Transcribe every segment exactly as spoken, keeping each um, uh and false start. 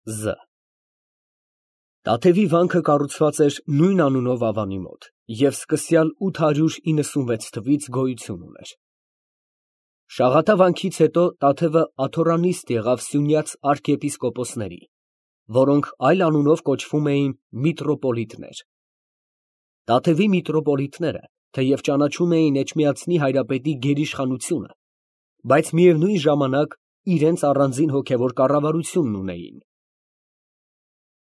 Զ Տաթևի վանքը կառուցված էր նույն անունով Ավանի մոտ և սկսյալ ութ հարյուր իննսունվեց թվից գոյություն ուներ։ Շաղատա վանքից հետո Տաթևը աթոռանիստ եղավ Սյունյաց արքիեպիսկոպոսների, որոնք այլ անունով կոչվում էին միտրոպոլիտներ։ Տաթևի միտրոպոլիտները թեև ճանաչում էին Էջմիածնի հայրապետի գերիշխանությունը, բայց միևնույն ժամանակ իրենց առանձին հոգևոր կառավարությունն ունեին։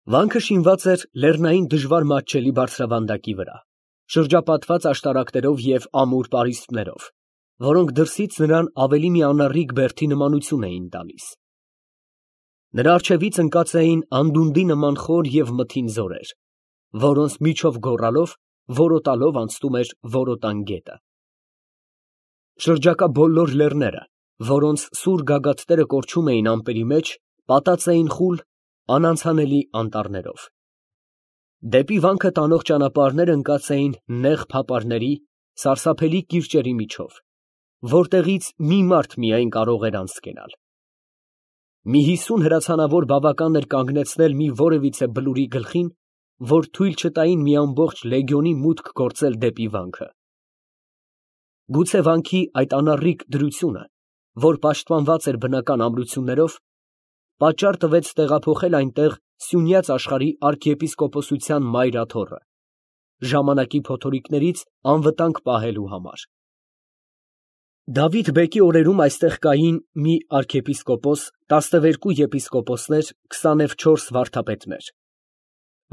Վանքը շինված էր լեռնային դժվար մատչելի բարձրավանդակի վրա, շրջապատված աշտարակներով և ամուր պարիսպներով, որոնք դրսից նրան ավելի մի անառիկ բերդի նմանություն էին տալիս։ Նրա առջևից ընկած էին անդունդի նման խոր և մթին ձորեր, որոնց միջով գոռալով, որոտալով անցնում էր Որոտան գետը։ Շրջակա բոլոր լեռները, որոնց սուր գագաթները կորչում էին ամպերի մեջ, պատած էին խուլ, անանցանելի անտառներով։ Դեպի վանքը տանող ճանապարհները ընկած էին նեղ փապարների, սարսափելի կիրճերի միջով, որտեղից մի մարդ միայն կարող էր անցկենալ։ Մի հիսուն հրացանավոր բավական էր կանգնեցնել մի որևիցե բլուրի գլխին, որ թույլ չտային մի ամբողջ լեգիոնի մուտք գործել դեպի վանքը։ Գուցե վանքի այդ անառիկ դրությունը, որ պաշտպանված էր բնական ամրություններով, պատճառ տվեց տեղափոխել այնտեղ Սյունյաց աշխարհի արքիեպիսկոպոսության մայր աթոռը, ժամանակի փոթորիկներից անվտանգ պահելու համար։ Դավիթ բեկի օրերում այստեղ կային մի արքիեպիսկոպոս, տասնվերկու եպիսկոպոսներ, քսանուչորս վարդապետներ։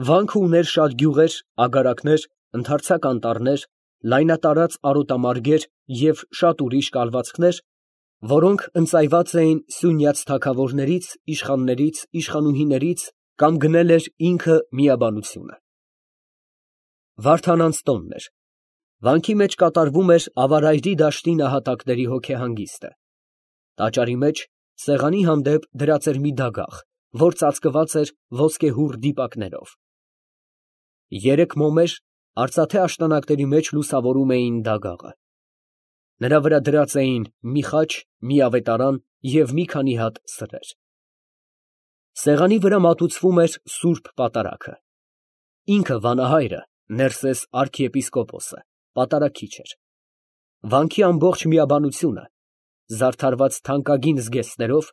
Վանքը ուներ շատ գյուղեր, ագարակներ, ընդարձակ անտառներ, լայնատարած արոտամարգեր և շատ ուրիշ կալվածքներ, որոնք ընծայված էին Սյունյաց թագավորներից, իշխաններից, իշխանուհիներից կամ գնել էր ինքը միաբանությունը։ Վարդանանց տոնն էր։ Վանքի մեջ կատարվում էր ավարայրի դաշտի նահատակների հոգեհանգիստը։ Տաճարի մեջ սեղանի հանդեպ դրած էր մի դագաղ, որ ծածկված էր ոսկեհուռ դիպակներով։ Երեք մոմեր արծաթե աշտանակների մեջ լուսավորում էին դագաղը։ Նրա վրա դրած էին մի խաչ, մի ավետարան և մի քանի հատ սրեր։ Սեղանի վրա մատուցվում էր սուրբ պատարագը։ Ինքը վանահայրը, Ներսես արքիեպիսկոպոսը, պատարագիչ էր։ Վանքի ամբողջ միաբանությունը, զարդարված թանկագին զգեստներով,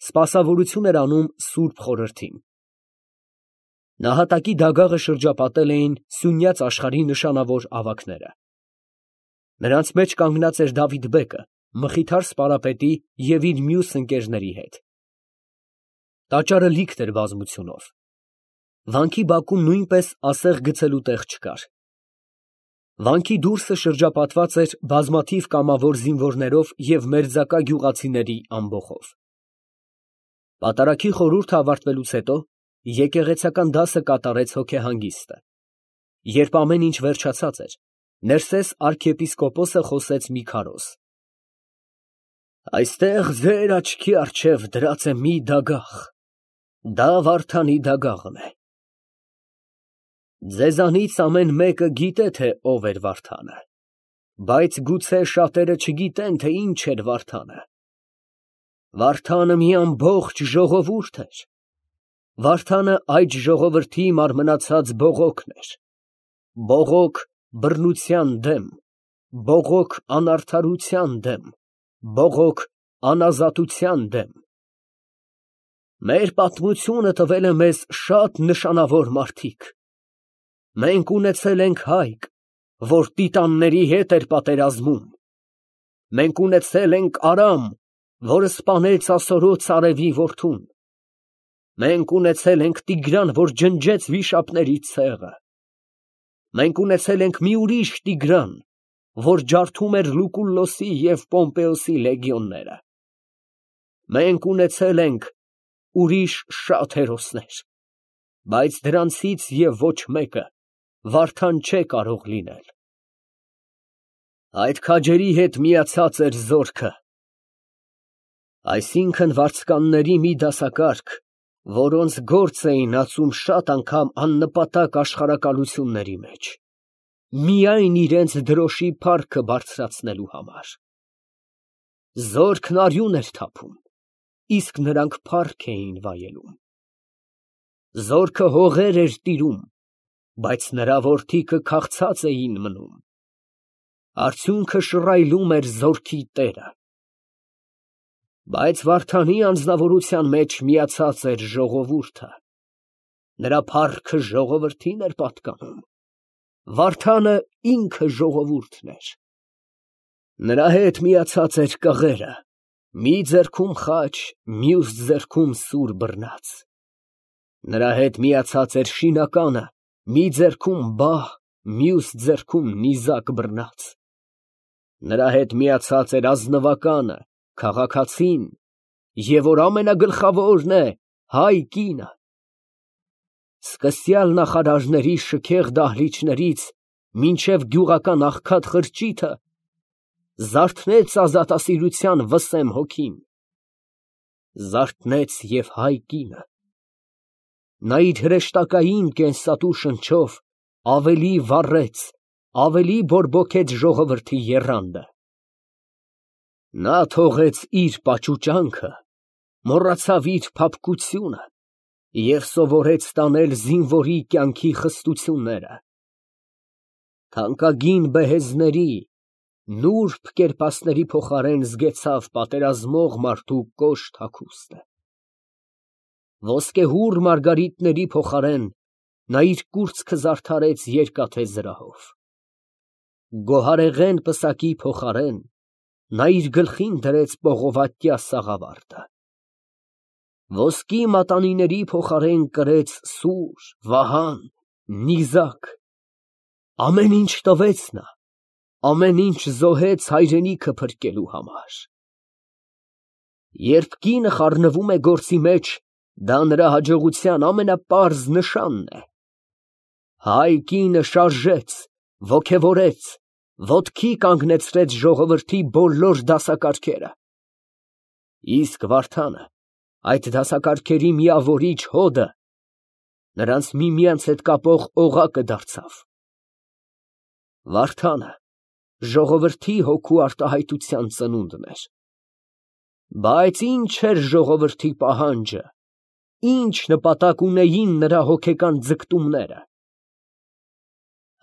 սպասավորություն էր անում Սուրբ Խորհրդին։ Նահատակի դագաղը շրջապատել էին Սյունյաց աշխարհի նշանավոր ավագները։ Նրանց մեջ կանգնած էր Դավիթ բեկը մխիթար սպարապետի և իր մյուս ընկերների հետ։ Տաճարը լիքն էր բազմությունով։ Վանքի բակում նույնպես ասեղ գցելու տեղ չկար։ Վանքի դուրսը շրջապատված էր բազմաթիվ կամավոր զինվորներով և մերձակա գյուղացիների ամբոխով։ Պատարագի խորհուրդը ավարտվելուց հետո եկեղեցական դասը կատարեց հոգեհանգիստը։ Երբ ամեն ինչ վերջացած էր, Ներսես արքիեպիսկոպոսը խոսեց մի քարոզ. Այստեղ ձեր աչքի առջև դրած է մի դագաղ, դա Վարդանի դագաղն է։ Ձեզանից ամեն մեկը գիտե, թե ով էր Վարդանը, բայց գուցե շատերը չգիտեն, թե ինչ էր Վարդանը։ Վարդանը մի ամբողջ ժողովուրդ էր։ Վարդանը այդ ժողովրդի մարմնացած բողոքն էր։ Բողոք բռնության դեմ, բողոք անարդարության դեմ, բողոք անազատության դեմ։ Մեր պատմությունը տվել է մեզ շատ նշանավոր մարդիկ։ Մենք ունեցել ենք հայք, որ տիտանների հետ էր պատերազմում։ Մենք ունեցել ենք Արամ, որը սպանեց ասորոց արևի որդուն։ Մենք ունեցել ենք Տիգրան, որ ջնջեց վիշապների ցեղը։ Մենք ունեցել ենք մի ուրիշ Տիգրան, որ ջարդում էր Լուկուլլոսի և Պոմպեոսի լեգիոնները։ Մենք ունեցել ենք ուրիշ շատ հերոսներ, բայց դրանցից և ոչ մեկը Վարդան չէ կարող լինել։ Այդ քաջերի հետ միացած էր զորքը, այսինքն վարձկանների մի դասակարգ, որոնց գործ էին ածում շատ անգամ աննպատակ աշխարհակալությունների մեջ, միայն իրենց դրոշի փառքը բարձրացնելու համար։ Զորքն արյուն էր թափում, իսկ նրանք փառք էին վայելում։ Զորքը հողեր էր տիրում, բայց նրա որդիքը քաղցած էին մնում։ Արդյունքը շռայլում էր զորքի տերը։ Բայց Վարդանի անձնավորության մեջ միացած էր ժողովուրդը։ Նրա փառքը ժողովրդին էր պատկանում։ Վարդանը ինքը ժողովուրդն էր։ Նրա հետ միացած էր կղերը, մի ձեռքում խաչ, մյուս ձեռքում սուր բռնած։ Նրա հետ միացած էր շինականը, մի ձեռքում բահ, մյուս ձեռքում նիզակ բռնած։ Նրա հետ միացած էր ազնվականը, քաղաքացին, և որ ամենագլխավորն է, հայ կինը։ Սկսյալ նախարարների շքեղ դահլիճներից մինչև գյուղական աղքատ խրճիթը զարթնեց ազատասիրության վսեմ հոգին։ Զարթնեց և հայ կինը։ Նա իր հրեշտակային կենսատու շնչով ավելի վառեց, ավելի բորբոքեց ժողովրդի եռանդը։ Նա թողեց իր պաճուճանքը, մոռացավ իր փափկությունը և սովորեց տանել զինվորի կյանքի խստությունները։ Թանկագին բեհեզների, նուրբ կերպասների փոխարեն զգեցավ պատերազմող մարդու կոշտ հագուստը։ Ոսկեհուռ մարգարիտների փոխարեն նա իր կուրծքը զարդարեց երկաթե զրահով։ Գոհարեղեն պսակի փոխարեն նա իր գլխին դրեց պողովատյա սաղավարտը։ Ոսկի մատանիների փոխարեն կրեց սուր, վահան, նիզակ։ Ամեն ինչ տվեց նա, ամեն ինչ զոհեց հայրենիքը փրկելու համար։ Երբ կինը խառնվում է գործի մեջ, դա նրա հաջողության ամենապարզ նշանն է։ Հայ կինը շարժեց, ոգևորեց, ոտքի կանգնեցրեց ժողովրդի բոլոր դասակարգերը։ Իսկ Վարդանը, այդ դասակարգերի միավորիչ հոդը, նրանց միմյանց հետ կապող օղակը դարձավ։ Վարդանը ժողովրդի հոգու արտահայտության ծնունդն էր։ Բայց ինչ էր ժողովրդի պահանջը, ինչ նպատակ ունեին նրա հոգեկան ձգտումները։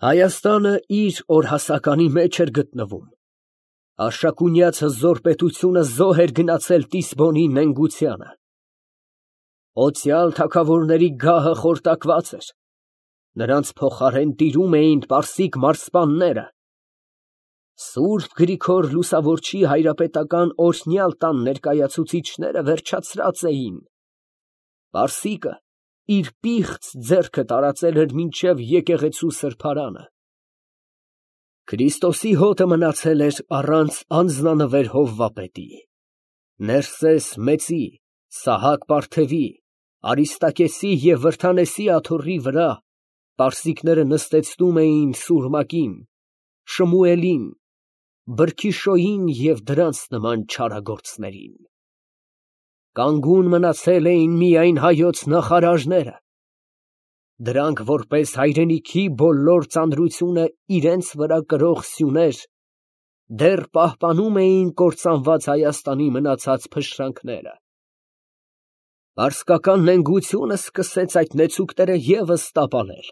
Հայաստանը իր օրհասականի մեջ էր գտնվում։ Արշակունյաց հզոր պետությունը զոհ էր գնացել Տիսբոնի նենգությանը։ Օծյալ թագավորների գահը խորտակված էր։ Նրանց փոխարեն տիրում էին պարսիկ մարզպանները։ Սուրբ Գրիգոր Լուսավորչի հայրապետական օրհնյալ տան ներկայացուցիչները վերջացրած էին։ Պարսիկը իր պիղծ ձեռքը տարածել էր մինչև եկեղեցու սրբարանը։ Քրիստոսի հոտը մնացել էր առանց անձնանվեր Հովվապետի, Ներսես մեծի, Սահակ պարթևի, Արիստակեսի և Վրդանեսի աթոռի վրա պարսիկները նստեցնում էին Սուրմակին, Շմուելին, Բրքիշոյին և դրանց նման չարագործներին։ Կանգուն մնացել էին միայն հայոց նախարարները։ Դրանք որպես հայրենիքի բոլոր ծանրությունը իրենց վրա կրող սյուներ, դեռ պահպանում էին կործանված Հայաստանի մնացած փշրանքները։ Պարսկական նենգությունը սկսեց այդ նեցուկները ևս տապալել,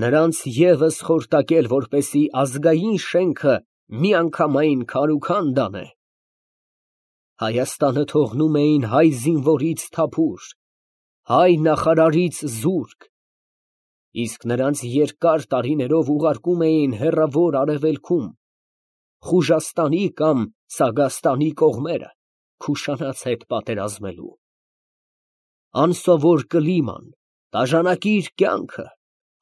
նրանց ևս խորտակել, որպեսզի ազգային շենքը միանգամայն քարուքան դանե։ Հայաստանը թողնում էին հայ զինվորից թափուր, հայ նախարարից զուրկ, իսկ նրանց երկար տարիներով ուղարկում էին հեռավոր արևելքում, Խուժաստանի կամ Սագաստանի կողմերը, Քուշանաց հետ պատերազմելու։ Անսովոր կլիման, տաժանակիր կյանքը,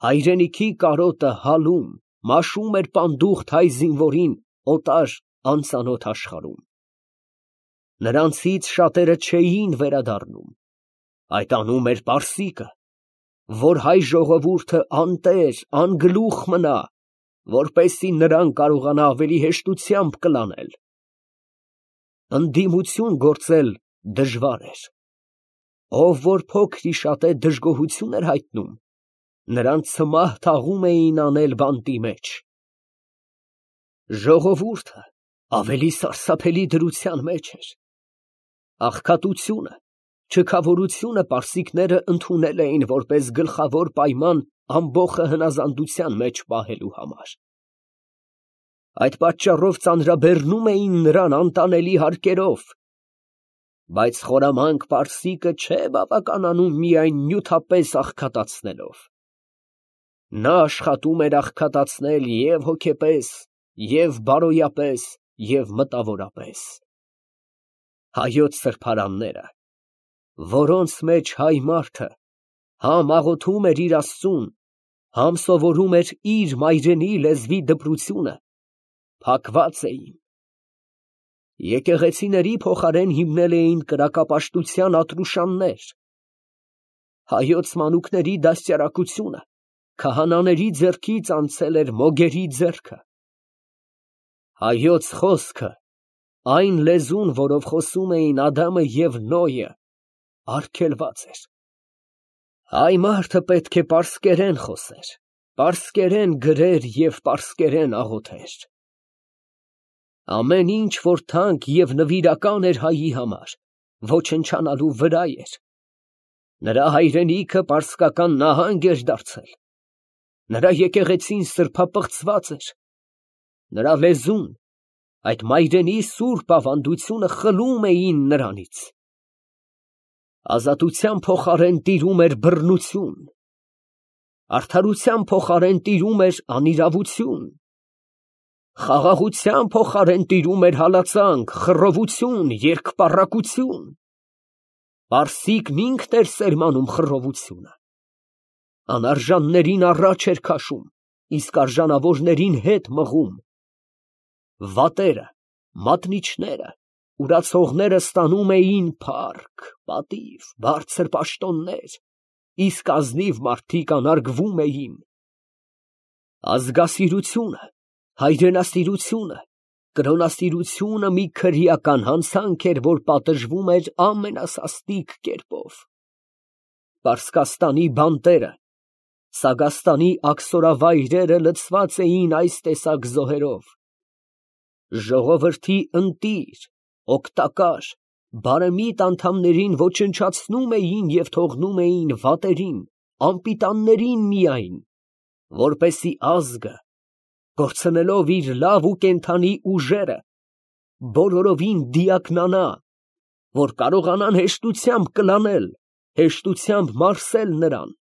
հայրենիքի կարոտը հալում, մաշում էր պանդուխտ հայ զինվորին օտար անծանոթ աշխարհում։ Նրանցից շատերը չէին վերադառնում։ Այդ անում էր պարսիկը, որ հայ ժողովուրդը անտեր, անգլուխ մնա, որպեսզի նրան կարողանա ավելի հեշտությամբ կլանել։ Ընդդիմություն գործել դժվար էր։ Ով որ փոքր-ի-շատ է դժգոհություն էր հայտնում, նրան ցմահ թաղում էին անել բանտի մեջ։ Ժողովուրդը ավելի սարսափելի դրության մեջ էր։ Աղքատությունը, Չքավորությունը պարսիկները ընդունել էին որպես գլխավոր պայման ամբոխը հնազանդության մեջ պահելու համար։ Այդ պատճառով ծանրաբեռնում էին նրան անտանելի հարկերով, բայց խորամանկ պարսիկը չէ բավականանում միայն նյութապես աղքատացնելով։ Նա աշխատում էր աղքատացնել և հոգեպես, և բարոյապես, և մտավորապես։ Հայոց սրբարանները, որոնց մեջ հայ մարդը համ աղոթում էր իր Աստծուն, համ սովորում էր իր մայրենի լեզվի դպրությունը, փակված էին։ Եկեղեցիների փոխարեն հիմնել էին կրակապաշտության ատրուշաններ։ Հայոց մանուկների դաստիարակությունը քահանաների ձեռքից անցել էր մոգերի ձեռքը։ Հայոց խոսքը, այն լեզուն, որով խոսում էին Ադամը և Նոյը, արգելված էր։ Հայ մարդը պետք է պարսկերեն խոսեր, պարսկերեն գրեր և պարսկերեն աղոթեր։ Ամեն ինչ, որ թանկ և նվիրական էր հայի համար, ոչնչանալու վրա էր։ Նրա հայրենիքը պարսկական նահանգ էր դարձել։ Նրա եկեղեցին սրբապղծված էր։ Նրա լեզուն, այդ մայրենի սուրբ ավանդությունը խլում էին նրանից։ Ազատության փոխարեն տիրում էր բռնություն, արդարության փոխարեն տիրում էր անիրավություն, խաղաղության փոխարեն տիրում էր հալածանք, խռովություն, երկպառակություն։ Պարսիկն ինքն էր սերմանում խռովությունը։ Անարժաններին առաջ էր քաշում, իսկ արժանավորներին հետ մղում։ Վատերը, մատնիչները, ուրացողները ստանում էին փառք, պատիվ, բարձր պաշտոններ, իսկ ազնիվ մարդիկ անարգվում էին։ Ազգասիրությունը, հայրենասիրությունը, կրոնասիրությունը մի քրեական հանցանք էր, որ պատժվում էր ամենասաստիկ կերպով։ Պարսկաստանի բանտերը, Սագաստանի աքսորավայրերը լցված էին այս տեսակ զոհերով։ Ժողովրդի ընտիր, օգտակար, բարեմիտ անդամներին ոչնչացնում էին և թողնում էին վատերին, անպիտաններին միայն, որպեսզի ազգը, կորցնելով իր լավ ու կենդանի ուժերը, բոլորովին դիակնանա, որ կարողանան հեշտությամբ կլանել, հեշտությամբ մարսել նրան։